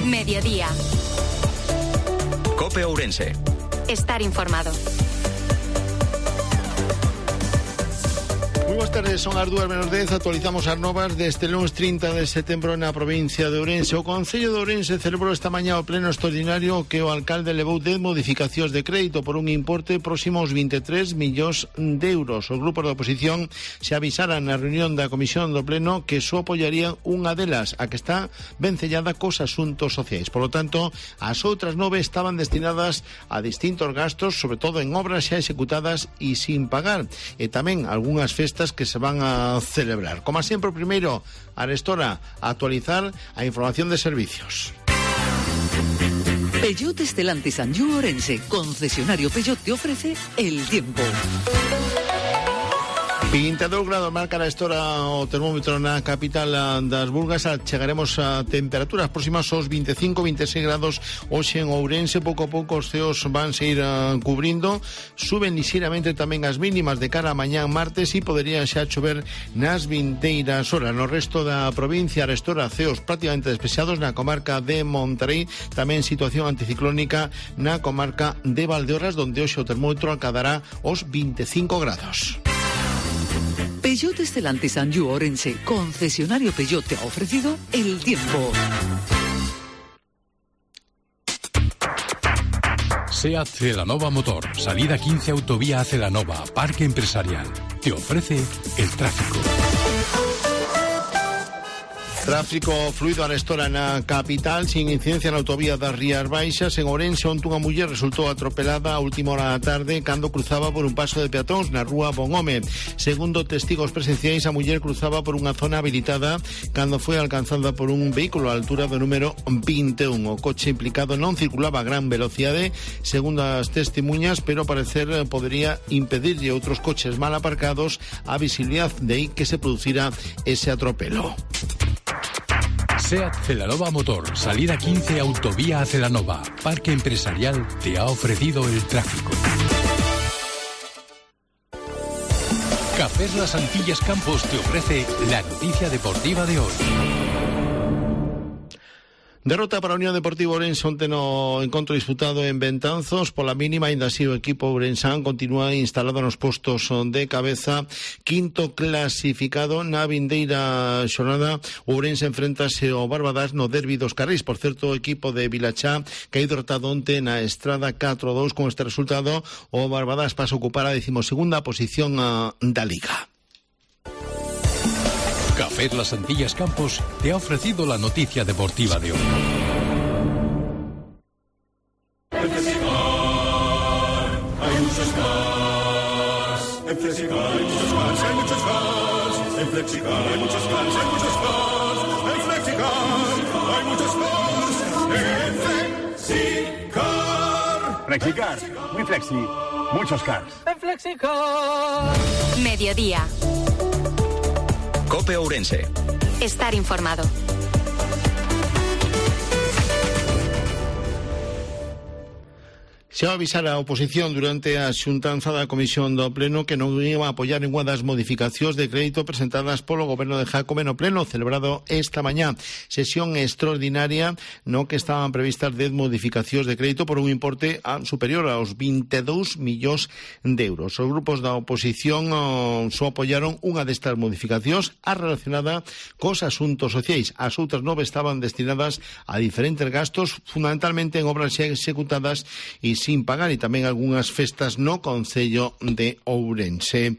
Mediodía. COPE Ourense. Estar informado. Moi boas tardes, son as 2:10, actualizamos as novas deste lunes 30 de setembro na provincia de Ourense. O Concello de Ourense celebrou esta mañá o pleno extraordinario que o alcalde levou 10 modificacións de crédito por un importe próximo aos 23 millóns de euros. Os grupos da oposición se avisaran na reunión da comisión do pleno que só apoiarían unha delas, a que está vencellada cos asuntos sociais. Por lo tanto, as outras 9 estaban destinadas a distintos gastos, sobre todo en obras xa executadas e sin pagar, e tamén algunhas festas que se van a celebrar. Como sempre, primeiro, Arestora, actualizar a información de servicios. Peugeot Stellantis Anjou Ourense, concesionario Peugeot, te ofrece el tiempo. 22 grados marca a Arestora o termómetro na capital das Burgas. Chegaremos a temperaturas próximas aos 25-26 grados hoxe en Ourense. Pouco a pouco os ceos van se ir cubrindo. Suben lixeiramente tamén as mínimas de cara a mañán martes e poderían xa chover nas vindeiras horas. No resto da provincia, Arestora, ceos prácticamente despexados na comarca de Monterrey. Tamén situación anticiclónica na comarca de Valdeorras, donde hoxe o termómetro acadará os 25 grados. Peugeot Stellantis Anjou Ourense, concesionario Peugeot, te ha ofrecido el tiempo. SEAT Celanova Motor, salida 15 autovía a Celanova, Parque Empresarial, te ofrece el tráfico. Tráfico fluido a Arestora na capital, sin incidencia na autovía das Rías Baixas. En Ourense, onte unha muller resultou atropelada a última hora da tarde cando cruzaba por un paso de peatóns na rúa Bonhome. Segundo testigos presenciais, a muller cruzaba por unha zona habilitada cando foi alcanzada por un vehículo á altura do número 21. O coche implicado non circulaba a gran velocidade, segundo as testemunhas, pero ao parecer podería impedirlle outros coches mal aparcados a visibilidade, de aí que se producira ese atropelo. SEAT Celanova Motor, salida 15 autovía a Celanova, Parque Empresarial, te ha ofrecido el tráfico. Cafés Las Antillas Campos te ofrece la noticia deportiva de hoy. Derrota para a Unión Deportiva Ourense onte no encontro disputado en Betanzos. Pola mínima, ainda así o equipo ourensán continúa instalado nos postos de cabeza, quinto clasificado. Na vindeira xornada, Ourense enfrentase ao Barbadas no derbi dos Carrís. Por certo, o equipo de Vilachá caí derrotado onte na Estrada 4-2. Con este resultado, o Barbadas pasa a ocupar a 12ª posición da Liga. Café Las Antillas Campos te ha ofrecido la noticia deportiva de hoy. En Flexicar hay muchos cars. En Flexicar hay muchos cars, hay muchos cars. En Flexicar hay muchos cars, hay muchos cars. En Flexicar hay muchos cars. En Flexicar. Flexicar, muy flexi, muchos cars. En Flexicar. Mediodía. COPE Ourense. Estar informado. Se va a avisar a oposición durante a xuntanza da Comisión do Pleno que non iba a apoiar ninguna das modificacións de crédito presentadas polo Goberno de Jácome no Pleno celebrado esta mañá. Sesión extraordinaria no que estaban previstas 10 modificacións de crédito por un importe superior aos 22 millóns de euros. Os grupos da oposición só apoiaron unha destas modificacións, a relacionada cos asuntos sociais. As outras 9 estaban destinadas a diferentes gastos, fundamentalmente en obras xa executadas e sin pagar, e tamén algunhas festas no Concello de Ourense.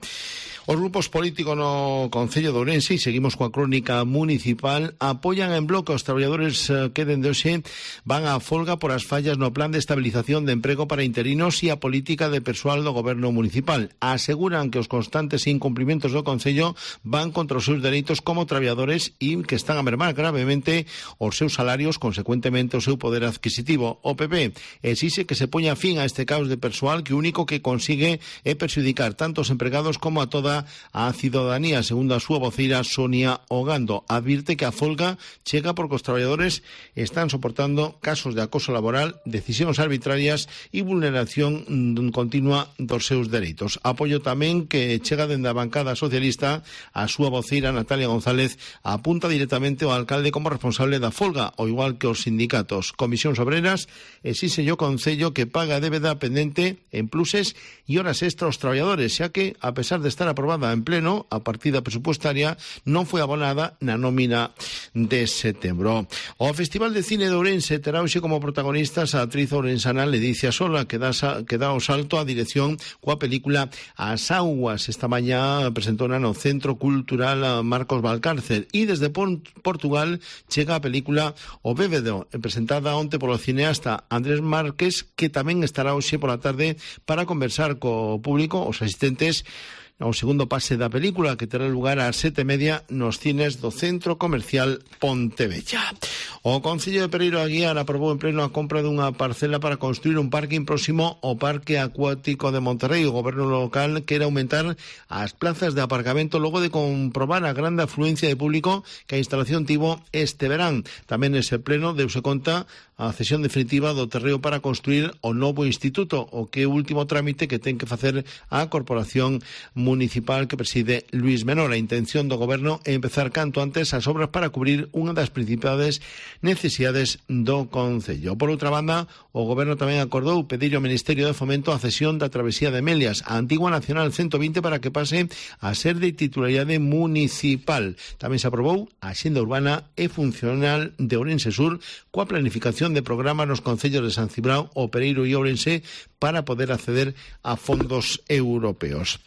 Os grupos políticos no Concello de Ourense, e seguimos coa crónica municipal, apoian en bloque aos traballadores que dende hoxe van á folga por as fallas no plan de estabilización de emprego para interinos e a política de persoal do goberno municipal. Aseguran que os constantes incumprimentos do Concello van contra os seus dereitos como traballadores e que están a mermar gravemente os seus salarios, consecuentemente o seu poder adquisitivo. O PP exixe que se poña fin a este caos de persoal que o único que consigue é perxudicar tanto os empregados como a toda a cidadanía, segundo a súa voceira Sonia Ogando. Advirte que a folga chega porque os traballadores están soportando casos de acoso laboral, decisións arbitrarias e vulneración continua dos seus dereitos. Apoio tamén que chega dende a bancada socialista. A súa voceira Natalia González apunta directamente ao alcalde como responsable da folga, ao igual que os sindicatos. Comisións Obreras exixe o Concello que paga a débeda pendente en pluses e horas extra aos traballadores, xa que, a pesar de estar aprobada en pleno, a partida presupuestaria non foi abonada na nómina de setembro. O Festival de Cine de Ourense terá hoxe como protagonistas a actriz ourensana Ledicia Sola, que dá o salto á dirección coa película As Augas. Esta mañá presentou no Centro Cultural Marcos Valcárcel e desde Portugal chega a película O Bébedo, presentada onte polo cineasta Andrés Márquez, que tamén estará hoxe pola tarde para conversar co público, os asistentes, ao segundo pase da película, que terá lugar ás 7:30 nos cines do Centro Comercial Pontevella. O Concello de Pereiro Aguiar aprobou en pleno a compra dunha parcela para construir un parking próximo ao Parque Acuático de Monterrey. O goberno local quere aumentar as plazas de aparcamento logo de comprobar a grande afluencia de público que a instalación tivo este verán. Tamén nese pleno deuse conta a cesión definitiva do terreo para construir o novo instituto, o que é o último trámite que ten que facer a Corporación Municipal que preside Luis Menor. A intención do goberno é empezar canto antes as obras para cubrir unha das principales necesidades do Concello. Por outra banda, o goberno tamén acordou pedir ao Ministerio de Fomento a cesión da travesía de Melias, a antigua Nacional 120, para que pase a ser de titularidade municipal. Tamén se aprobou a Axenda Urbana e Funcional de Ourense Sur coa planificación de programas nos concellos de San Cibrao, O Pereiro e Ourense para poder acceder a fondos europeos.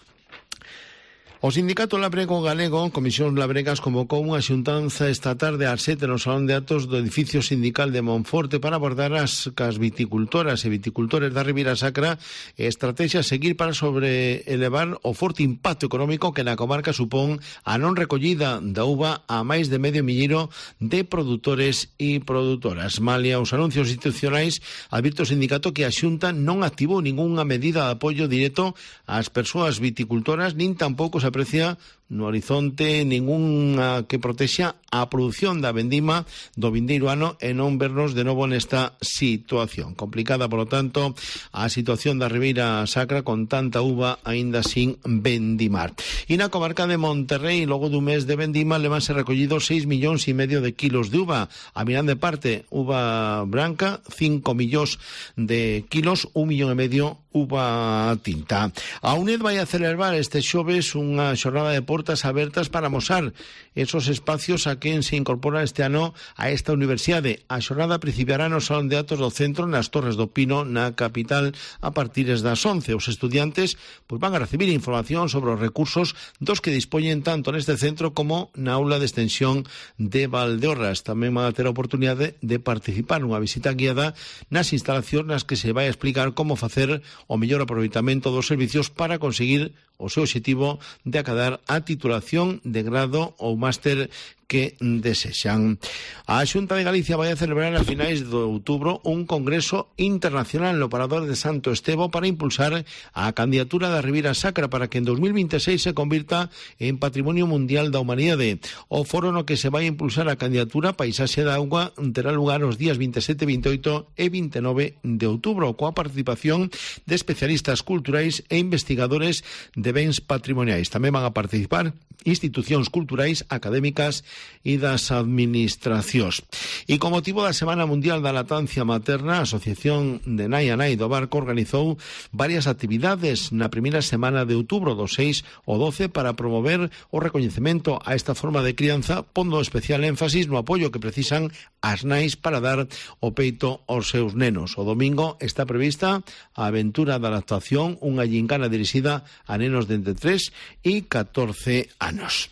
O Sindicato Labrego Galego, Comisións Labregas, convocou unha xuntanza esta tarde ás 7 no Salón de Actos do edificio sindical de Monforte para abordar as viticultoras e viticultores da Ribeira Sacra e estrategias a seguir para sobreelevar o forte impacto económico que na comarca supón a non recollida da uva a máis de medio milleiro de produtores e produtoras. Malia os anuncios institucionais, advirte o sindicato que a Xunta non activou ningunha medida de apoio directo ás persoas viticultoras, nin tampouco se aprecia no horizonte ningunha que protexa a produción da vendima do vindeiro ano e non vernos de novo nesta situación. Complicada, polo tanto, a situación da Ribeira Sacra con tanta uva aínda sin vendimar. E na comarca de Monterrey, logo dun mes de vendima, levanse recollidos 6,5 millóns de kilos de uva. A mirande parte, uva branca, 5 millóns de kilos, 1,5 millón uva tinta. A UNED vai a celebrar este xoves unha xornada de portas abertas para amosar esos espacios a quen se incorpora este ano a esta universidade. A xornada principiará no Salón de Actos do Centro, nas Torres do Pino, na capital, a partir das 11. Os estudiantes van a recibir información sobre os recursos dos que dispoñen tanto neste centro como na aula de extensión de Valdeorras. Tamén van a ter a oportunidade de participar nunha visita guiada nas instalacións nas que se vai a explicar como facer o mellor aproveitamento dos servicios para conseguir o seu objetivo de acadar a titulación de grado ou máster que desexan. A Xunta de Galicia vai a celebrar a finais de outubro un congreso internacional no Parador de Santo Estevo para impulsar a candidatura da Ribeira Sacra para que en 2026 se convirta en Patrimonio Mundial da Humanidade. O foro no que se vai a impulsar a candidatura Paisaxe da Auga terá lugar os días 27, 28 e 29 de outubro, coa participación de especialistas culturais e investigadores de bens patrimoniais. Tamén van a participar institucións culturais, académicas e das administracións. E con motivo da Semana Mundial da Lactancia Materna, a Asociación de Nai a Nai do Barco organizou varias actividades na primeira semana de outubro, do 6 ao 12, para promover o recoñecemento a esta forma de crianza, pondo especial énfasis no apoio que precisan as nais para dar o peito aos seus nenos. O domingo está prevista a aventura da lactación, unha gincana dirixida a nenos de entre 3 e 14 anos.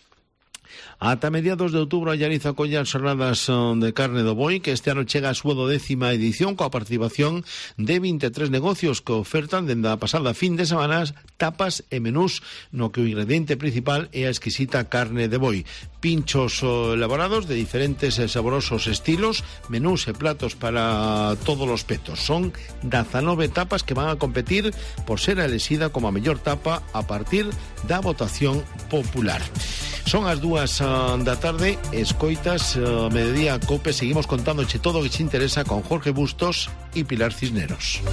Ata mediados de outubro a Llariz acolle as xornadas de carne do boi, que este ano chega a súa 12ª edición coa participación de 23 negocios que ofertan dende a pasada fin de semanas tapas e menús no que o ingrediente principal é a exquisita carne de boi. Pinchos elaborados de diferentes e saborosos estilos, menús e platos para todos os petos. Son 19 tapas que van a competir por ser a elexida como a mellor tapa a partir da votación popular. Son as 2 da tarde, escoitas Mediodía Cope, seguimos contándoche todo o que te interesa con Jorge Bustos e Pilar Cisneros.